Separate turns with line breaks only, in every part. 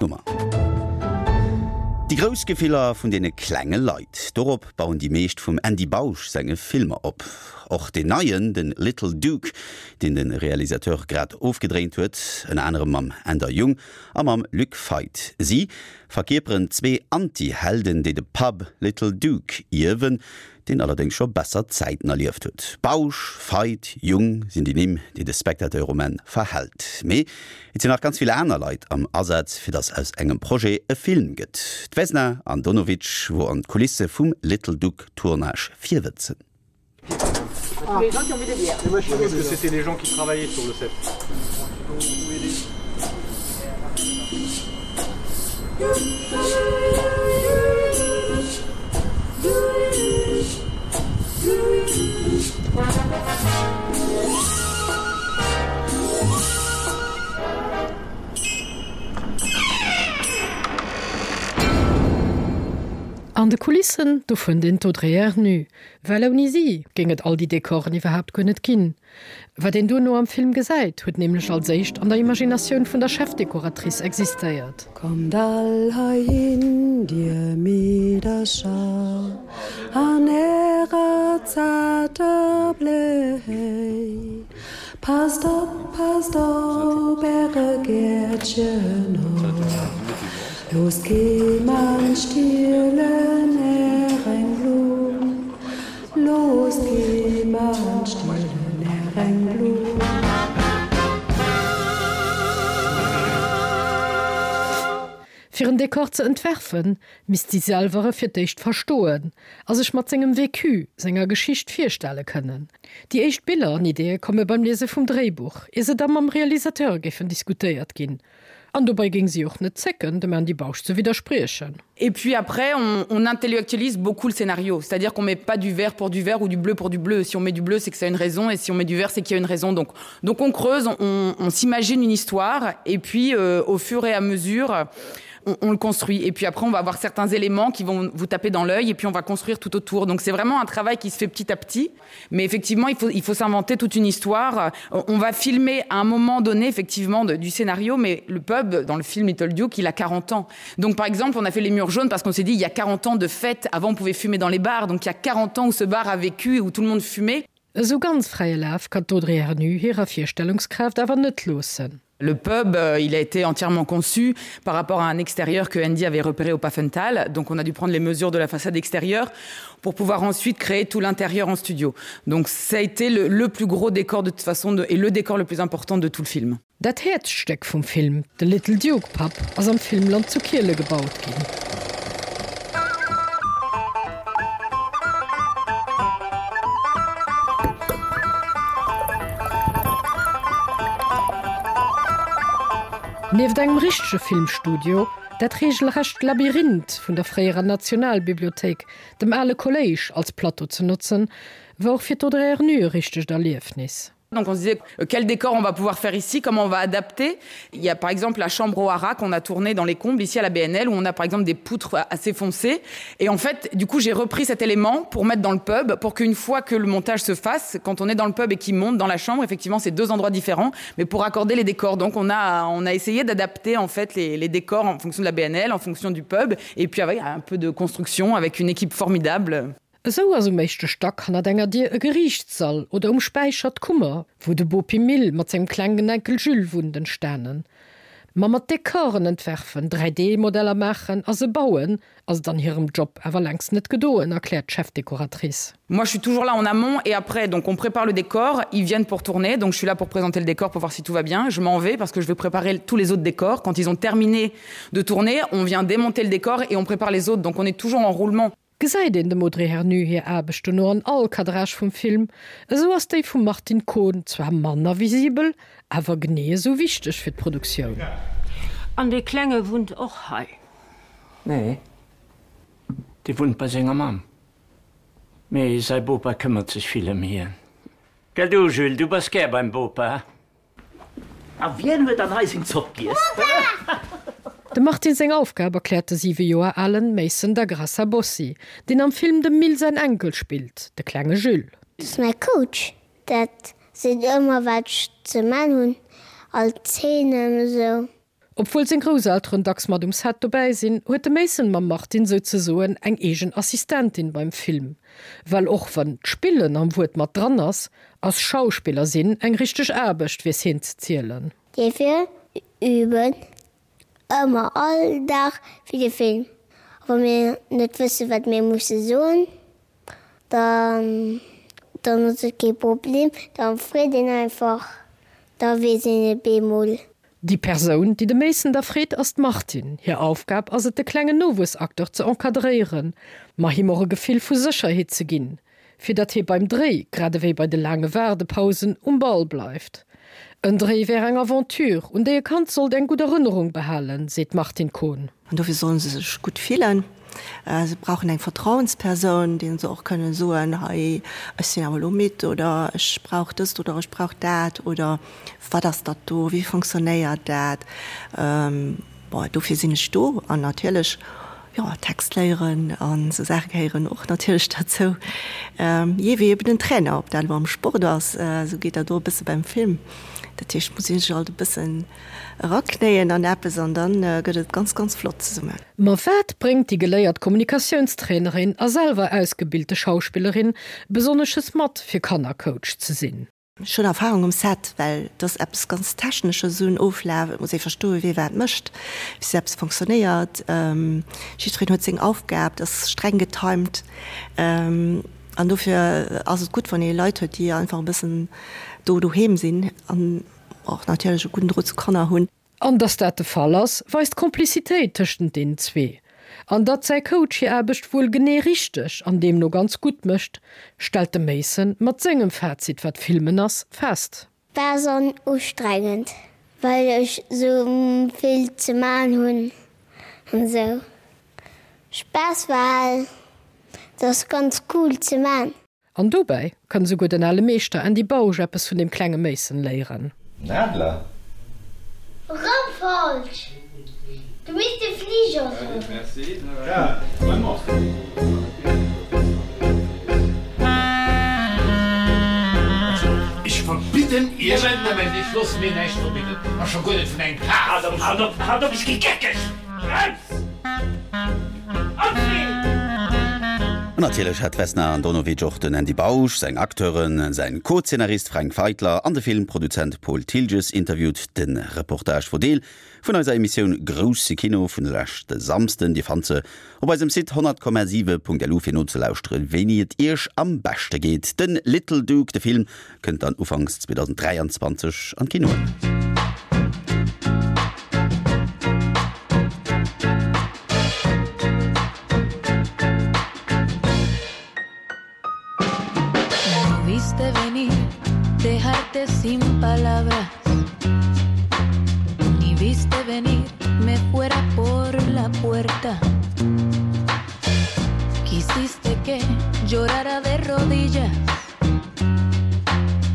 Nummer. Déi grouss Gefiller vun deene klenge Leit, dorop bauen déi meescht vum Andy Bausch senge Filmer op. Och deen neien, de Little Duke, deen de Realisateur grad ofgedréint huet, ënner anerem mam Änder Jung a mam Luc Feit. Si verkierperen zwee Anti-Helden, déi de Pub Little Duke ierwen, deen allerdéngs scho besser Zäiten erlieft huet. Bausch, Feit, Jung sinn déi Nimm, déi de Spectateur um Enn verhält. Mee et sinn nach ganz vill aner Leit am Asaz, fir datt aus engem Projet e Film gëtt. D'Vesna Andonovic wor an d'Kulisse vum Little Duck Tournage virwëtzen.
An de Kulissen, do fënnt een d'Audrey Ernu, well ouni si géing et all déi Dekoren iwwerhaapt guer net ginn. Wat een duerno am Film gesäit, huet nämlech als éischt an der Imaginatioun vun der Chefdekoratrice existéiert.
Kommt all heihin, dir Meedercher, an ärer zarter Bléi, Passt op, passt op äre Gäertchen op, Loosst kee Mann stielen är eng Blumm. Loosst kee Mann stielen är eng Blumm.
Fir en Dekor ze entwerfen, misst si selwer e fir d'éischt verstoen a sech mat sengem Vécu, senger Geschicht virstelle kënnen. Déi éischt Biller an Ideeë komme beim Liese vum Dréibuch, ier se da mam Realisateur géifen diskutéiert ginn. An dobäi géing si och net zécken, dem Andy Bausch ze widderspriechen.
Et puis après on, on intellectualise beaucoup le scénario, c'est-à-dire qu'on met pas du vert pour du vert ou du bleu pour du bleu. Si on met du bleu, c'est que ça a une raison et si on met du vert, c'est qu'il y a une raison. Donc, donc on creuse, on, on s'imagine une histoire et puis euh, au fur et à mesure, on, on le construit et puis après on va avoir certains éléments qui vont vous taper dans l'œil et puis on va construire tout autour. Donc c'est vraiment un travail qui se fait petit à petit. Mais effectivement il faut, il faut s'inventer toute une histoire. On va filmer à un moment donné effectivement de, du scénario, mais le pub dans le film Little Duke, il a 40 ans. Donc par exemple on a fait les murs jaunes parce qu'on s'est dit il y a 40 ans de fête avant on pouvait fumer dans les bars donc il y a 40 ans où ce bar a vécu et où tout le monde fumait.
Esou ganz fräie Laf kann d'Audrey Ernu hirer Virstellungskraaft awer net loossen.
Le pub, euh, il a été entièrement conçu par rapport à un extérieur que Andy avait repéré au Pafental. Donc on a dû prendre les mesures de la façade extérieure pour pouvoir ensuite créer tout l'intérieur en studio. Donc ça a été le, le plus gros décor de toute façon de, et le décor le plus important de tout le film.
Dat Häerzstéck vum Film, de Little Duke Pub, ass am Filmland zu Kiele gebaut ginn. Nieft engem richtege Filmstudio, dat reegelrecht Labyrinth vun der fréierer Nationalbibliothéik, dem ale Kolléisch, als Plateau ze notzen, war och fir d'Audrey Ernu e richtegt Erliefnis.
Donc on se disait euh, quel décor on va pouvoir faire ici, comment on va adapter. Il y a par exemple la chambre au hara qu'on a tourné dans les combles ici à la BNL où on a par exemple des poutres assez foncées. Et en fait, du coup, j'ai repris cet élément pour mettre dans le pub pour qu'une fois que le montage se fasse, quand on est dans le pub et qu'il monte dans la chambre, effectivement, c'est deux endroits différents, mais pour accorder les décors. Donc on a, on a essayé d'adapter en fait les, les décors en fonction de la BNL, en fonction du pub et puis avec un peu de construction avec une équipe formidable.
Esou ass um éischte Stack hannert enger Dier e Geriichtssall oder um Späicher d'Kummer, wou de Bopi Mill mat sengem klengen Enkel Jules wunnt, entstanen. Ma mat Dekoren entwerfen, 3D-Modeller maachen a se bauen, ass et an hirem Job awer längst net gedoen, erkläert d'Chefdekoratrice.
Moi je suis toujours là en amont et après donc on prépare le décor, ils viennent pour tourner donc je suis là pour présenter le décor pour voir si tout va bien, je m'en vais parce que je vais préparer tous les autres décors quand ils ont terminé de tourner, on vient démonter le décor et on prépare les autres donc on est toujours en roulement.
Gesäit een dem Audrey Hernu hir Aarbecht dono an all Cadrage vum Film, esou ass déi vum Martine Kohn zwar manner visibel, awer genee esou wichteg fir d'Produktioun.
An dee Klenge wunnt och hei?
Nee, dee wunnt bei senger Mamm. Mee säi Bopa këmmert sech vill ëm hien. Gell du, Jules, du bass gär beim Bopa?
A wien huet dann hei seng Zopp giess?
Dem Martin seng Aufgab erkläert de 7 Joer alen Mason da Graça Bossi, deen am Film dem Mill säin Enkel spillt, de klenge Jules.
Dat ass mäi Coach, dat seet ëmmer wat ech ze man hunn, all Zeenen esou.
Obwuel seng Grousselteren dacks mat um Set dobäi sinn, huet de Mason mam Martine souzesoen eng eegen Assistentin beim Film. Well och wann d'Spillen am Wuert mat dran ass, ass Schauspiller sinn eng richteg Aarbecht, weess hien ze zielen.
Dofir üben ëmmer all Dag fir de Film. A wa mir net wësse wat mir musse soen, dann dann ass et kee Problem, da freet een einfach, da weess een et bemol.
Déi Persoun, déi de Mason da freet, ass d'Martine. Hir Aufgab ass et de klengen Nowuessacteur ze encadréieren, ma him och e Gefill vu Sécherheet ze ginn. fir datt hie beim Dréi, grad ewéi bei de laange Waardepausen, um Ball bleift. En Dréi wär eng Aventure, un déi e Kand sollt eng gutt Erënnerung behalen, seet d'Martine Kohn.
An dofir sollen se sech gutt fillen. Se brauchen eng Vertrauenspersoun, deenen se och kënnen soen, hei, ech sinn awer elo midd oder ech brauch dëst oder ech brauch dat oder wat ass dat do, wéi fonctionnéiert dat? Bon, dofir sinn ech do an natierlech, jo, Text léieren an esou Saache gehéieren och natierlech derzou. Jee, wéi eben en Trainer, ob dat elo am Sport ass, esou geet dat och e bësse beim Film. Dat heescht, et muss ee sech alt e bëssen eraknéien an eppes an da gëtt et ganz, ganz flott zesummen.
Ma wat bréngt déi geléiert Kommunikatiounstrainerin a selwer ausgebilte Schauspillerin Besonnesches mat, fir Kannercoach ze sinn?
Ech hunn Erfahrung um Set, well et ass eppes ganz Technesches, esou en Oflaf. Et muss ee verstoen, wie wat mécht, wéi sou eppes fonctionnéiert. Jiddwereen huet seng Aufgab, et ass streng getimed. An dofir ass et gutt, wann ee Leit huet, déi einfach e bëssen do doheem sinn an och natierlech e gudden Drot zu Kanner hunn.
An datt dat de Fall ass, weist d'Komplizitéit tëschent deenen zwee. An datt säi Coach hir Aarbecht wuel genee richteg an deemno ganz gutt mécht, stellt de Mason mat sengem Fazit, wat Filmen ass, fest.
Spaass an ustrengend, well ech sou vill ze man hunn an sou. Spaass well et ass ganz cool ze man.
An dobäi kann esouguer den ale Meeschter Andy Bausch eppes vun deem klenge Mason léieren.
Nadler?
Rëm falsch! Du misst de Fliger soen.
Ech verbidden Iech. Moment, Moment, ech loosse mir näischt verbidden, a scho guer net vun engem Paf. Halt op, halt op, halt op, ech gi geckeg! Brems!
An natierlech hat d'Vesna Andonovic och den Andy Bausch, seng Acteuren, säin Co-Zeenarist Fränk Feitler an de Filmproduzent Paul Thiltges interviewt. De Reportage wor Deel vun eiser Emissioun Grousse Kino vun leschte Samsden. Dir fannt se op eisem Site 100,7.lu fir nozelauschteren, wéini et iech am beschte geet. Den Little Duke, de Film, Kënnt dann Ufanks 2023 an d'Kinoen.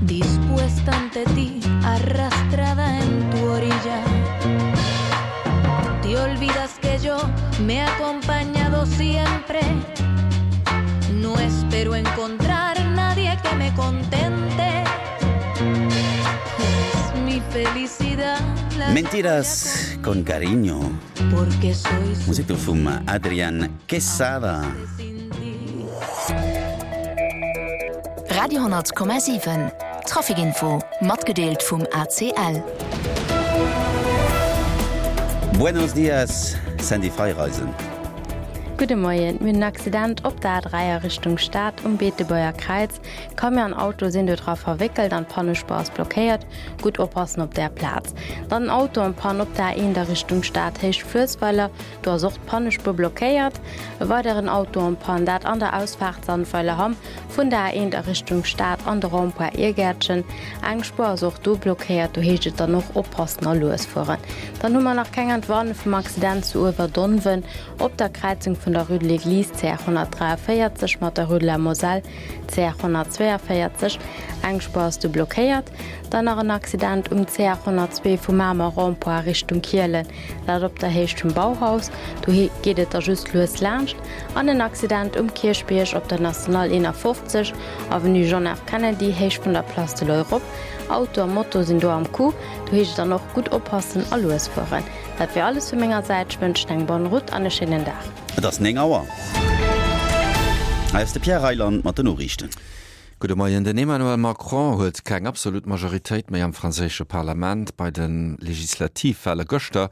Dispuesta ante ti, arrastrada en tu orilla. Te olvidas que yo me he acompañado siempre. No espero encontrar nadie que me contente. Es mi felicidad. La
Mentiras con cariño. Musek do vum Adrian Quesada.
Radio 10,7 Traficinfo matgedeelt vum ACL.
Buenos dias, Sandy Feireisen.
Gudde Moien, mir hunn en Accident op der A3 a Richtung Stad um Beetebuerger Kräiz. Camion an Auto sinn do dra verwéckelt an d'Pannespuer ass blockéiert. Gutt oppassen op där Plaz. Dann en Auto en panne op der A1 a Richtung Stad, Héicht Fluessweiler. Do ass och d'Pannespuer blockéiert. E weideren Auto en panne, dat an der Ausfaart Sandweiler-Hamm vun der A1 a Richtung Stad an de Rond-point Irgäertchen. Eng Spuer ass och do blockéiert, do heescht et dann och oppassen a lues fueren. Dann hu mer nach keng Entwarnung vum Accident zu Uewerdonwen op der Kräizung vun der Rue de l'Église, CR 143, mat der Rue de la Moselle, CR 142. Eng Spuer ass do blockéiert. Dann nach en Accident um CR 102 vu Mamer Rond-point Richtung Kielen. Dat op der Héicht vum Bauhaus, do geet et da just lues laanscht. An en Accident um Kierchbierg op der National 51, Avenue John F. Kennedy, Héicht vun der Place de l'Europe. Auto a Moto sinn do am Coup, do heescht et dann och gutt oppassen a lues fueren. Dat wier alles vu menger Säit, ech wënschen eng bonne route an e schéinen Dag.
Et ass 9 Auer. Hei ass de Pierre Reyland mat den Noriichten.
Gudde Moien. Den Emmanuel Macron huet keng absolut Majoritéit méi am franséische Parlament. Bei de Legislativwale gëschter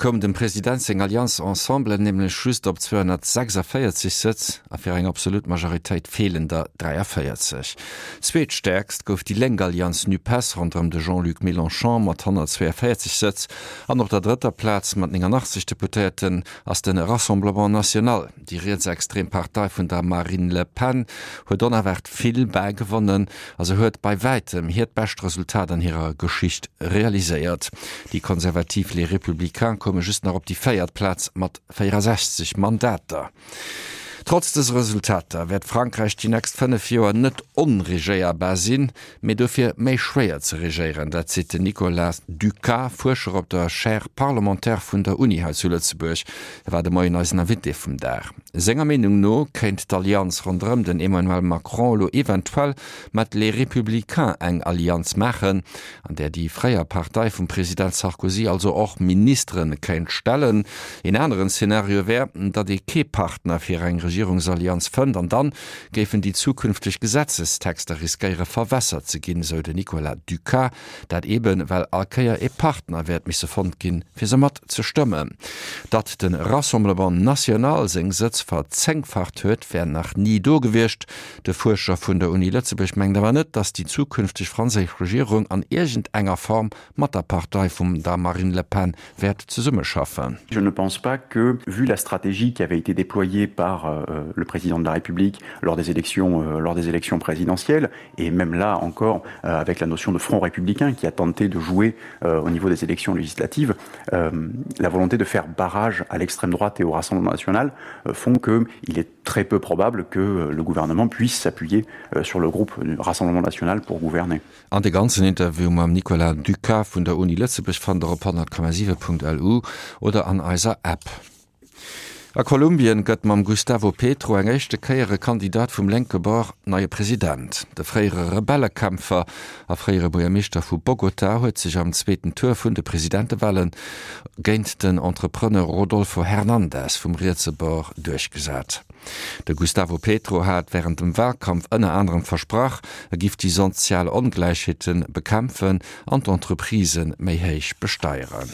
koum dem President seng Allianz Ensemble nämlech just op 246 Sëtz a fir eng absolut Majoritéit feelen der 43. Zweetstäerkst gouf déi lénk Allianz Nupes ronderëm de Jean-Luc Mélenchon mat 142 Sëtz an op der drëtter Plaz mat 89 Deputéierten ass de Rassemblement National. Déi rietsextrem Partei vun der Marine Le Pen huet onerwaart vill bäigewonnen a se huet bei wäitem hiert bescht Resultat an hirer Geschicht realiséiert. Déi konservativ Les Républicains koume just nach op déi véiert Plaz mat 64 Mandater. Trotz dëse Resultater wäert Frankräich déi nächst 5 Joer net onregéierbar sinn, mee dofir méi schwéier ze regéieren. Dat seet den Nicolas Ducas, Fuerscher op der Chaire parlementaire vun der Uni hei zu Lëtzebuerg. E war de Moien eisen Invité vum Dag. Senger Meenung no kéint d'Allianz ronderëm den Emmanuel Macron elo eventuell mat Les Républicains eng Allianz maachen, an där déi fréier Partei vum President Sarkozy also och Ministere kéint stellen. Een aneren Szenario wär, datt ee kee Partner fir eng Regierungsallianz fënnt an dann géifen déi zukünfteg Gesetzestexter riskéiere verwässert ze ginn, esou den Nicolas Ducas. Dat eeben, well all Kéier ee Partner wäert misse fonnt ginn, fir se mat ze stëmmen. Datt de Rassemblement National seng Sëtz verzéngfacht huet, wär nach ni do gewiescht. De Fuerscher vun der Uni Lëtzebuerg mengt awer net, datt déi zukünfteg franséisch Regierung an iergendenger Form mat der Partei vum der Marine Le Pen wäert zesummeschaffen.
Je ne pense pas que, vu la stratégie qui avait été déployée par euh, le président de la République lors des élections, euh, lors des élections présidentielles, et même là encore euh, avec la notion de front républicain qui a tenté de jouer euh, au niveau des élections législatives, euh, la volonté de faire barrage à l'extrême droite et au Rassemblement national euh, font qu'il est très peu probable que euh, le gouvernement puisse s'appuyer euh, sur le groupe du Rassemblement national pour gouverner.
An de ganzen Interview mam Nicolas Ducas vun der Uni Lëtzebuerg fannt der op 100,7.lu oder an eiser App. A Kolumbien gëtt mam Gustavo Petro eng éischte Kéier e Kandidat vum lénke Bord neie President. De fréiere Rebellekämpfer a fréiere Buergermeeschter vu Bogota huet sech am zweeten Tour vun de Presidentewale géint den Entrepreneur Rodolfo Hernandez vum rietse Bord duerchgesat. De Gustavo Petro hat wärend dem Walkampf ënner anerem versprach, e giff déi sozial Ongläichheete bekämpfen an d'Entreprisë méi héich besteieren.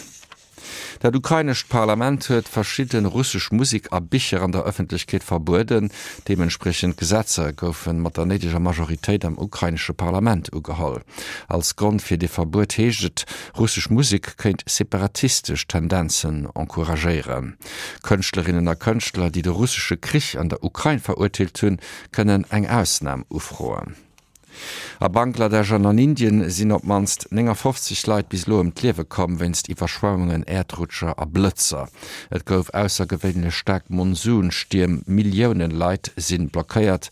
Dat ukrainescht Parlament huet verschidde russesch Musek a Bicher an der Ëffentlechkeet verbueden. Deementspriechend Gesetzer goufe mat der néideger Majoritéit am ukrainesche Parlament ugeholl. Als Grond fir dee Verbuet heescht et, russesch Musek kéint separatistesch Tendenzen encouragéieren. Kënschtlerinnen a Kënschtler, déi de russesche Krich an der Ukrain verurteelt hunn, kënnen eng Ausnam ufroen. A Bangladesch an an Indien sinn op d'mannst 59 Leit bis elo ëm d'Liewe komm wéinst Iwwerschwemmungen, Äerdrutscher a Blëtzer. Et gouf aussergewéinlech staark Monsunstierm, Millioune Leit si blockéiert.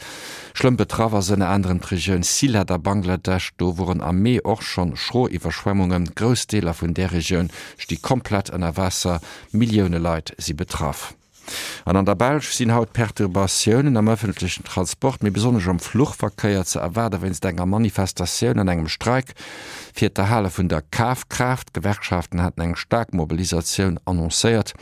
Schlëmm betraff ass ënner anerem d'Regioun Sylhet a Bangladesch. Do woren am Mee och schonn schro Iwwerschwemmungen. Grouss Deeler vun där Regioun sti komplett ënner Waasser. Millioune Leit si betraff. An an der Belsch sinn haut Perturbatiounen am ëffentlechen Transport, méi besonnesch am Fluchverkéier ze erwaarde wéinst enger Manifestatioun an engem Streik fir d'Erhale vun der Kafkraaft. D'Gewerkschaften haten eng staark Mobilisatioun annoncéiert.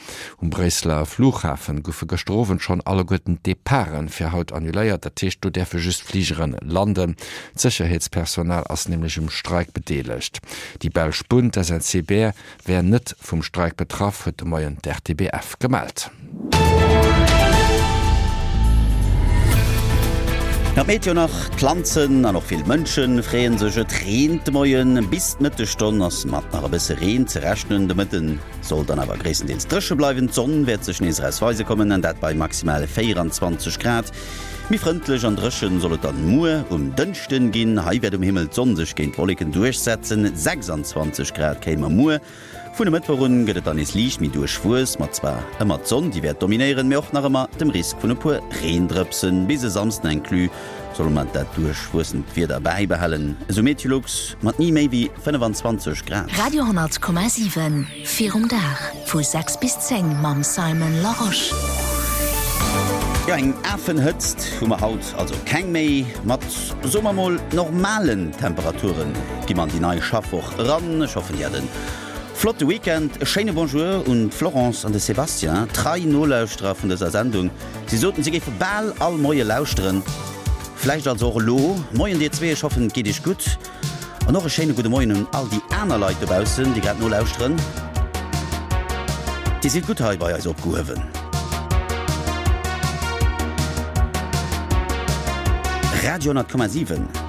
Um Bréisseler Flughafen goufe gëschter Owend schonn alleguerten d'Departe fir haut annuléiert. Dat heescht, do däerfe just Fligere landen. D'Sécherheetspersonal ass nämlech um Streik bedeelegt. Déi belsch Bunn, d'SNCB, wär net vum Streik betraff, huet de Moien d'RTBF gemellt.
Nach d'Meteo nach, D'Planzen an och vill Mënsche freeë sech, et reent de Moien. Bis d'Mëttesstonn ass mat nach e bësse Reen ze rechnen. De Mëtte soll dann awer gréisstendeels dréche bleiwen. D'Sonn wäert sech nees eraus weise kommen, an dat bei maximal 24 Grad. Méi frëndlech an dréchen soll et dann muer um Dënschden ginn. Hei wäert um Himmel d'Sonn sech géint d'Wolleken duerchsetzen. 26 Grad kréie mer muer. Vun e Mëttwoch un gëtt et dann nees liicht méi duerchwuess, mat zwar ëmmer d'Sonn déi wäert dominéieren, mee och nach ëmmer dem Risk vun e puer Reendrëpsen. Bis e Samsden inclus solle mer dat duerchwuessent Wieder bäibehalen, esou Meteolux, mat ni méi wéi 25 Grad.
Radio 10,7 Virum Dag vu 6 bis 10 mam Simon Larosche.
Jo, eng Afenhëtzt hu mer haut also keng méi. Mat, soe mer mol, normalen Temperature gi mer an déi nei Schaffwoch eran. Ech hoffen, Dir hat en Flotte Weekend. E schéine Bonjour un d'Florence an de Sébastien, trei Nolauschterer vun dëser Sendung. Si soten, si géife bal all Moie lauschteren. Vläicht also och elo. Moien dir zwee, ech hoffen et geet iech gutt. An och e schéine gudde Moien un all déi aner Leit dobaussen, déi grad nolauschteren. Dir sidd gutt hei bei eis opgehuewen. Radio 10,7.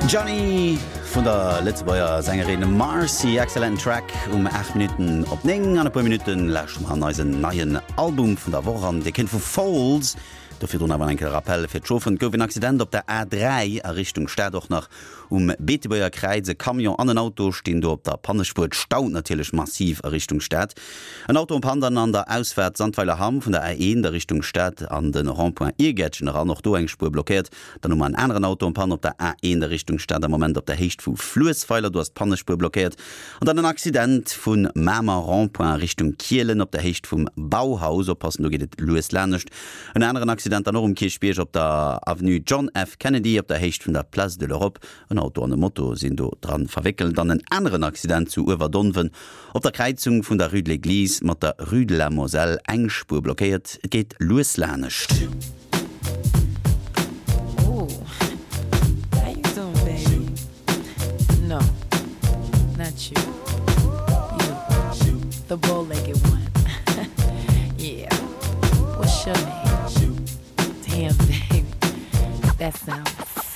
Johnny vun der Lëtzebuerger Sängerin Marcy. Excellenten Track um 8 Minutten op 9. An e puer Minutten lauschteren mer an eisen neien Album vun der Woch an. Dee kënnt vu Foals. Do virdrun awer enke Rappel fir d'Chauferen, Et gouf en Accident op der A3 a Richtung Stad, och nach um Beetebuerger Kräiz. E Camion an en Auto stinn do op der Pannespuer. Et staut natierlech massiv a Richtung Stad. En Auto en panne dann an der Ausfaart Sandweiler-Hamm vun der A1 a Richtung Stad an de Rond-point Iergäertchen eran, och do eng Spuer blockéiert. Dann hu mer en aneren Auto en panne op der A1 a Richtung Stad, am Moment op der Héicht vu Fluessweiler, do ass d'Pannespuer blockéiert. An dann en Accident vu Mamer Rond-point a Richtung Kielen op der Héicht vum Bauhaus. Oppassen, do geet et lues lanescht. En aneren Accident dann och um Kierchbierg op der Avenue John F. Kennedy op der Héicht vun der Place de l'Europe. En Auto an e Moto sinn do dran verwéckelt. An en aneren Accident zu Uewerdonwen op der Kräizung vun der Rue de l'Eglise mat der Rue de la Moselle. Eng Spuer blockéiert, et geet lues lanescht.
Not you. You. The bow-legged one. yeah. What's your name? Damn, baby. That sounds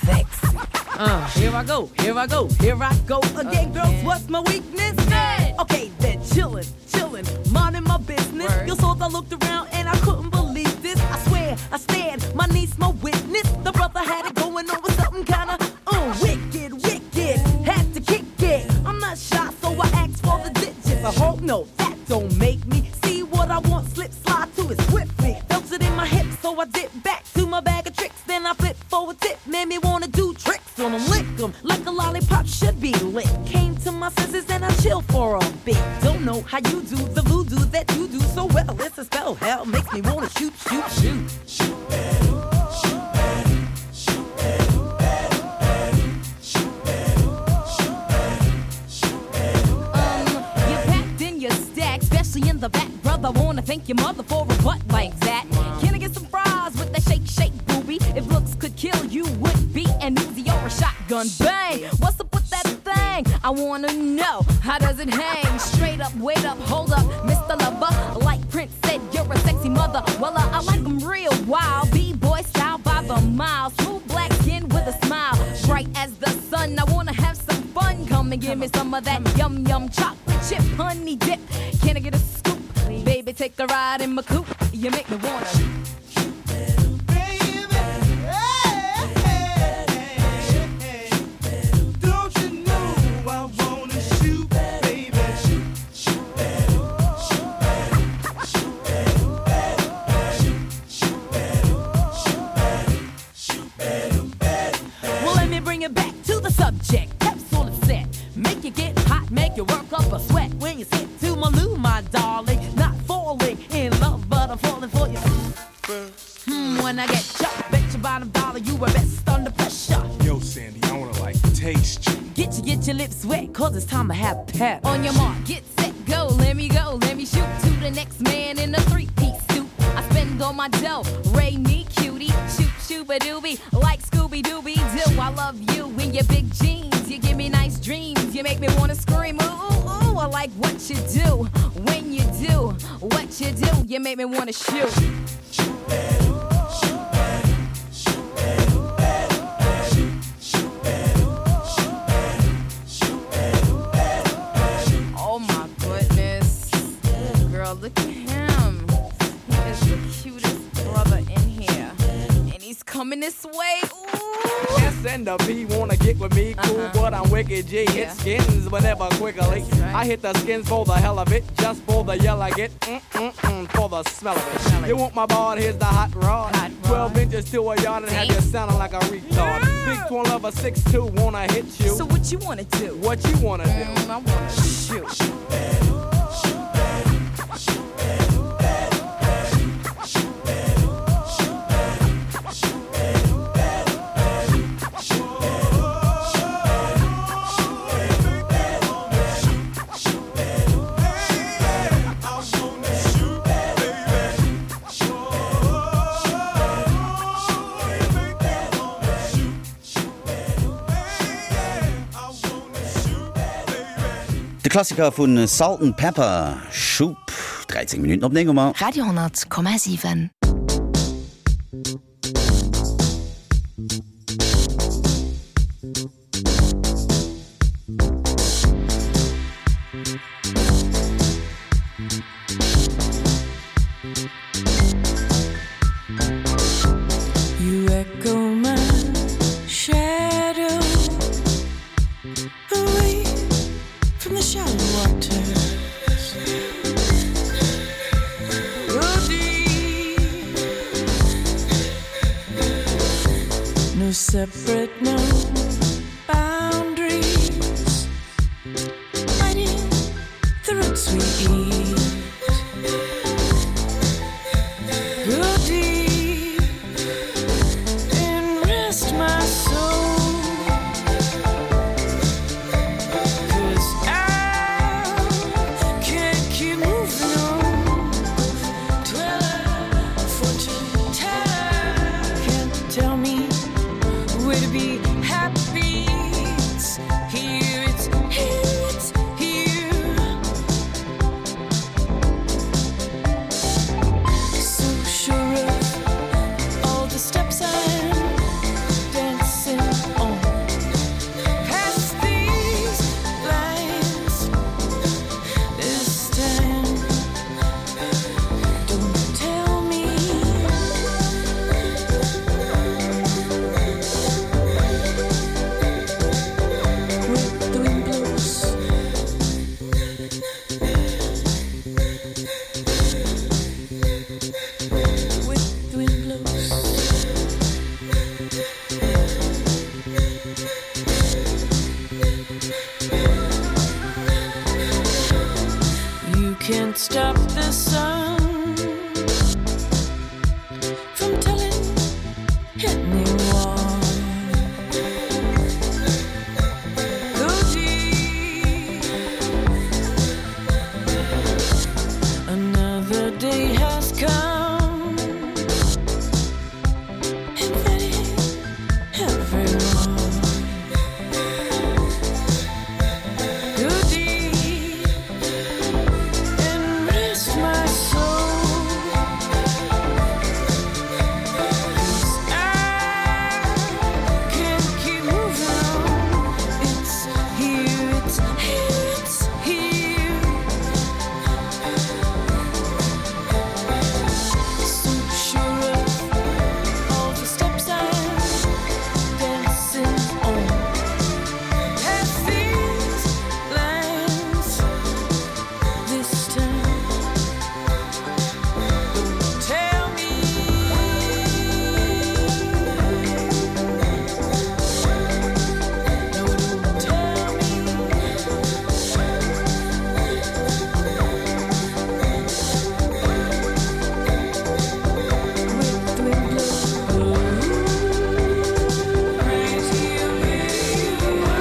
sexy. Uh,
here I go, here I go, here I go again, girls. What's my weakness? Okay, then chillin', chillin', minding my business. You saw I looked around and I couldn't believe this. I swear, I stand, my niece, my witness. The brother had it going on with something kinda uh, wicked, wicked. Had to kick it. I'm not shy, so I asked for the digits. I hope no, that don't make me see what I want. Slip, slide to it swiftly. Felt it in my hips, so I dip back to my bag of tricks. Then I flip for a tip, made me wanna do tricks on 'em, lick 'em like a lollipop should be licked. Came to my. how you do the voodoo that you do so well. It's a spell, hell makes me wanna shoot, shoot, shoot. Shoot, shoot, shoot, shoot, shoot,
Um, you're packed in your stack, especially in the back, brother. Wanna thank your mother for a butt like that. Can I get some fries with that shake, shake, booby? If looks could kill, you would be an Uzi or a shotgun. Bang! What's up with that thing? I wanna know how does it hang? Straight up, wait up, hold up, Mr. Lover. Like Prince said, you're a sexy mother. Well, uh, I like 'em real wild, B-boy style by the mile. Smooth black skin with a smile, bright as the sun. I wanna have some fun. Come and give me some of that yum yum chocolate chip honey dip. Can I get a scoop? Baby, take a ride in my coupe. You make me wanna.
Don't you know I wanna shoot, baby? Shoot, shoot, shoot, shoot, shoot, shoot, shoot,
Well, let me bring it back to the subject. Pep's all upset. Make you get hot, make you work up a sweat. When you sit to my loo, my darling. Not falling in love, but I'm falling for you. Hmm, when I get ya, bet your bottom dollar you were best under pressure.
Yo, Sandy, I wanna like taste you.
Get you, get your lips wet, cause it's time to have pep.
On your mark, get set, go. Let me go, let me shoot to the next man in a three-piece suit. I spend all my dough, Ray me cutie, shoot shooba doobie, like Scooby Dooby Doo. I love you in your big jeans. You give me nice dreams. You make me wanna scream. Ooh, ooh, ooh. I like what you do when you do what you do. You make me wanna shoot. Oh my goodness. Girl, look at him. He is the cutest brother in here. And he's coming this way. Ooh.
S and the P wanna get with me, cool, uh -huh. but I'm wicked G. Hit yeah. skins whenever quickly. Right. I hit the skins for the hell of it, just for the yell I get, mm -mm -mm, for the smell of it. Smell it. You want my bard, here's the hot rod. Hot rod. 12 inches to a yard and Damn. have you sounding like a retard. Yeah. Big twin lover 6'2 wanna hit you.
So what you wanna do?
What you wanna do?
Mm, I wanna shoot.
De Klassiker vu Salt 'n Pepper, Shoop, 13 Minutten op 9 hu mer.
Radio 10,7.
You echo my shadow away from the shallow waters. Go deep. No separate, no boundaries. Fighting the roots we eat. Go deep and rest my soul. 'Cause I can't keep moving on. Tell a fortune teller can't tell me where to be happy. It's here, it's here, it's here. So sure of all the steps I'm dancing on. Past these lines this time. Don't tell me. With the wind blows. With the wind blows. the sun from telling anyone. Go deep. Another day has come. Inviting everyone. Go deep and rest my soul. 'Cause I can't keep moving on. It's here, it's here, it's here. So sure of all the steps I'm dancing on. Past these lines this time. Don't tell me. No, don't tell me. With the wind blow. Right here where you Right here where you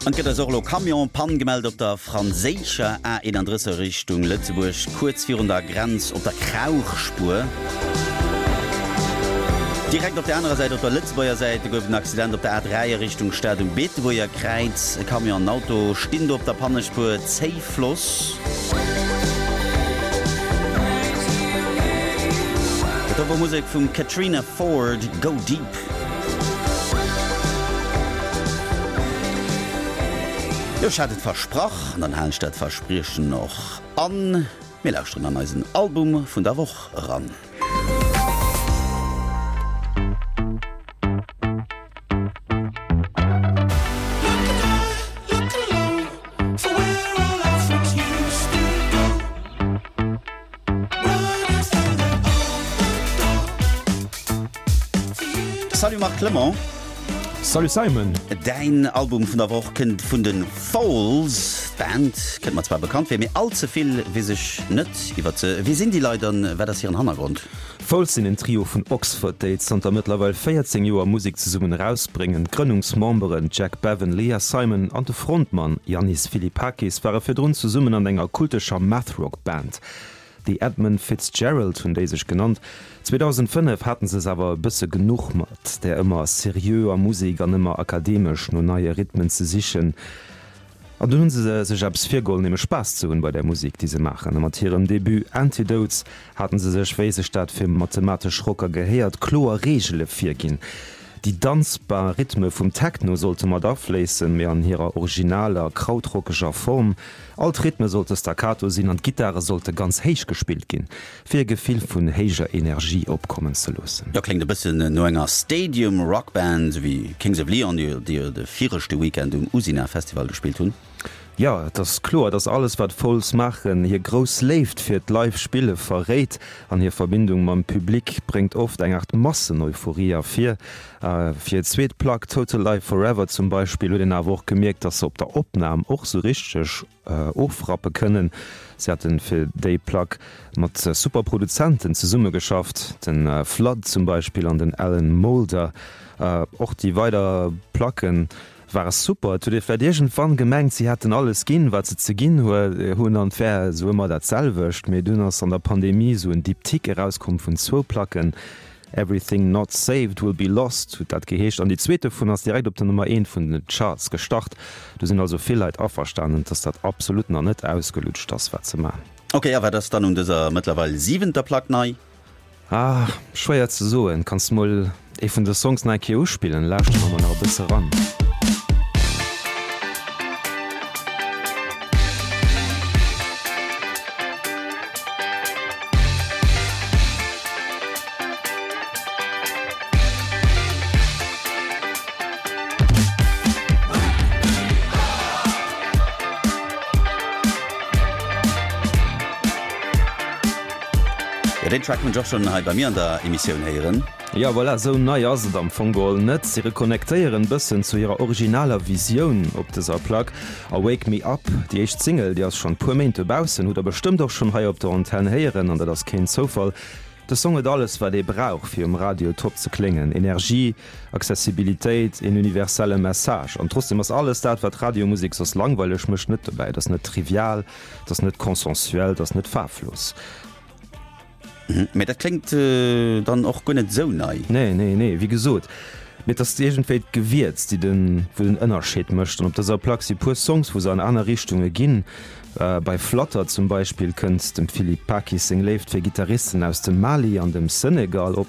An et gëtt eis och elo Camion Pann gemellt op der franséischer A31 Richtung Lëtzebuerg, kuerz virun der Grenz op der Krauchspuer. Direkt op der anerer Säit, op der Lëtzebuerger Säit, gouf et en Accident op der A3 a Richtung Stad um Beetebuerger Kräiz. E Camion an en Auto stinn do op der Pannespuer, Zéifloss. Dat do wor Musek vum Katrina Ford, Go Deep. Jo, ech hat et versprach an dann halen ech dat Verspriechen och an. Mir lauschteren an eisen Album vun der Woch eran. Salut Marc Clement.
Salut Simon.
Däin Album vun der Woch kënnt vun de Foals. D'Band kënnt mer zwar bekannt vir, mee all ze vill weess ech net iwwert se. Wie sinn déi Leit an wat ass hiren Hannergrond?
Foals sinn en Trio vun Oxford, déi zanter mëttlerweil 14 Joer Musek zesummen erausbréngen. D'Grënnungsmemberen Jack Bevan, Leah Simon an de Frontmann Yannis Philippakis ware virdrun zesummen an enger kultescher Math-Rock-Band. The Edmund Fitzgerald hunn déi sech genannt. 2005 haten se es awer e bësse genuch mat där ëmmer seriöer Musek an ëmmer akademesch no neie Rhythmen ze sichen. An dunn hunn se sech eppes virgeholl, nämlech Spaass ze hunn bei där Musek, déi se maachen. A mat hirem Debut Antidotes haten se sech, wéi sech dat fir mathematesch Rocker gehéiert, kloer Reegele virginn. Déi danzbar Rhythme vum Techno sollte mat afléissen, mee an hirer originaler, krautrockeger Form. All d'Rhythme sollte staccato sinn an d'Gittare sollte ganz héich gespillt ginn, fir e Gefill vun héijer Energie opkommen ze loossen.
Jo, kléngt e bëssen no enger Stadium Rock Band, esou wéi Kings of Leon, déi jo de viregte Weekend um Usina Festival gespillt hunn.
Jo, et ass kloer, dass alles wat Foals maachen, hir grouss Léift fir d'Live Spille verréit an hir Verbindung mam Public bréngt oft eng Art Masseneuphorie ervir. Fir hir zweet Plack Total Life Forever zum Beispill huet een awer och gemierkt, dass se op der Opnam och sou richteg ofrappe kënnen. Si haten fir déi Plack mat super Produzenten zesummegeschafft, den Flood zum Beispill an den Alan Moulder. Och déi weider Placken ware super. Et huet ee vläit iergendwann gemengt, si hätten alles ginn, wat se ze ginn hunn an et wär esou ëmmer dat selwecht. Mee dunn ass an der Pandemie esou en Diptyque erauskomm vun zwou Placken, Everything Not Saved Will Be Lost huet dat geheescht an déi zweet dovun ass direkt op der Nummer eent vun den Charts gestart. Do sinn also vill Leit averstanen, dass dat absolut nach net ausgelutscht ass, wat se man.
Ok, a wat ass dann un dëser mëttlerweil siwenter Plack nei?
Ah, schwéier ze soen. Kanns mol ee vun de Songs nach eng Kéier uspillen? Lauschteren mer mol nach e bësse ran.
Jo, deen Track hunn ech och schonn hei bei mir an der Emissioun héieren.
Jo, voilà, esou nei ass et am Fong geholl net. Si reconnectéieren bëssen zu hirer originaler Visioun op dëser Plack. A Wake Me Up, déi éischt Single, déi ass schonn puer Méint dobaussen, hutt der bestëmmt och schonn hei op der Antenn héieren, an dat ass keen Zoufall. De Song huet alles, wat ee brauch, fir um Radio top ze kléngen, Energie, Accessibilitéit, een universelle Message. An trotzdem ass alles dat, wat Radiomusek soss langweileg mécht, net dobäi. Et ass net trivial, et ass net consensuel, et ass net faarflos.
Mee dat kléngt dann och guer net esou nei.
Nee, nee, nee, wéi gesot, mee et ass iergendwéi d'Gewierz, déi den, wou den Ënnerscheed mécht. An op dëser Plack si puer Songs, wou se an aner Richtunge ginn. Bei Flutter zum Beispill kënnt dem Philippe Pakis seng Léift fir Gittaristen aus dem Mali an dem Senegal op.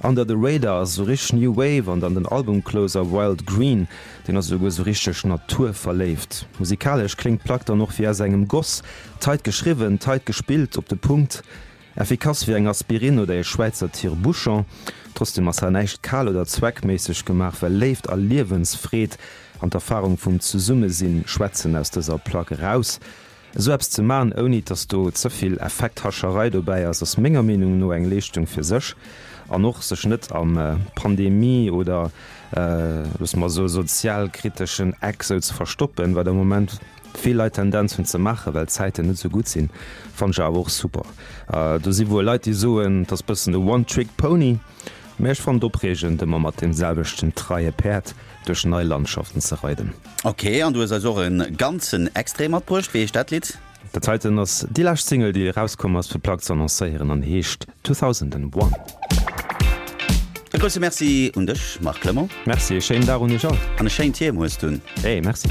Under the Radar ass esou richteg New Wave an dann den Albumcloser Wild Green, deen ass esouguer esou richteg naturverléift. Musikalesch kléngt d'Plack dann och wéi aus engem Goss, tight geschriwwen, tight gespillt, op de Punkt, effikass wéi eng Aspirin oder ee Schwäizer Tire-Bouchon. Trotzdem ass hei näischt kal oder zweckméisseg gemaach, well Léift a Liewensfreed an d'Erfarung vum Zesummesinn schwätzen aus dëser Plack eraus. Esou eppes ze man, ouni dass do ze vill Effekthascherei dobäi ass, ass menger Meenung no eng Leeschtung fir sech. An och sech net am Pandemie oder, loosse mer soe sozialkriteschen Eck sou ze verstoppen, wat am Moment vill Leit Tendenz hunn ze maachen, well d'Zäiten net sou gutt sinn, fannen ech awer och super. Do si wuel Leit déi soen, et ass bëssen e One Trick Pony, mä ech fannen et opreegend ëmmer mat deem selwechten treie Päerd duerch nei Landschaften ze reiden.
Ok, an du hues eis och e ganzen Extrait matbruecht. Wéi heescht dat Lidd?
Dat heiten ass déi lescht Single, déi erauskomm ass fir d'Plack ze annoncéieren an heescht 2001.
E grousse Merci un dech, Marc Clement.
Merci, e schéinen Dag un iech all.
An e schéint Hiem hues du.
Hey, merci.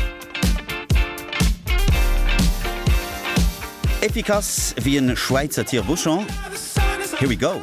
Efficace wéi en Schwäizer Tire-Bouchon. Here we go!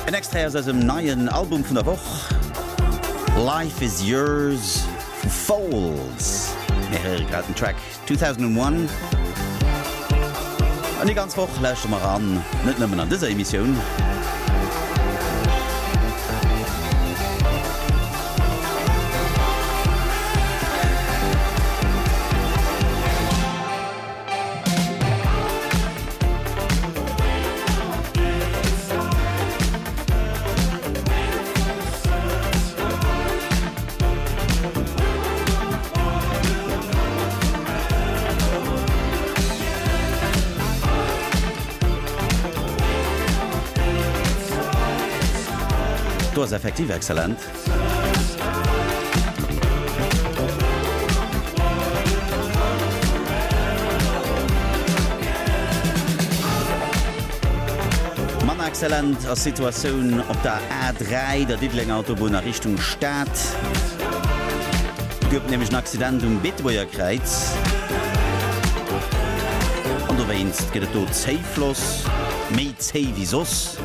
En Extrait aus eisem neien Album vun der Woch, Life Is Yours vu Foals. Mir héiere grad den Track 2001. An déi ganz Woch lauschtere mer eran, net nëmmen an dëser Emissioun. Do ass effektiv exzellent. Manner exzellent ass d'Situatioun op der A3, der Diddelenger Autobunn a Richtung Stad. Et gouf nämlech en Accident um Beetebuerger Kräiz an dowéinst gëtt et do Zéifloss, méi zéi wéi soss.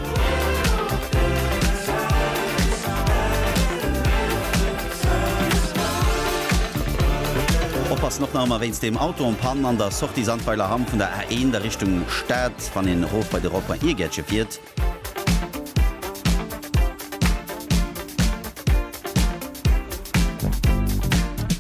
Oppassen och nach ëmmer wéinst dem Auto en panne an der Sortie Sandweiler Hamm vun der A1 a Richtung Stad, wann een erof bei de Rond-point Iergäertche fiert.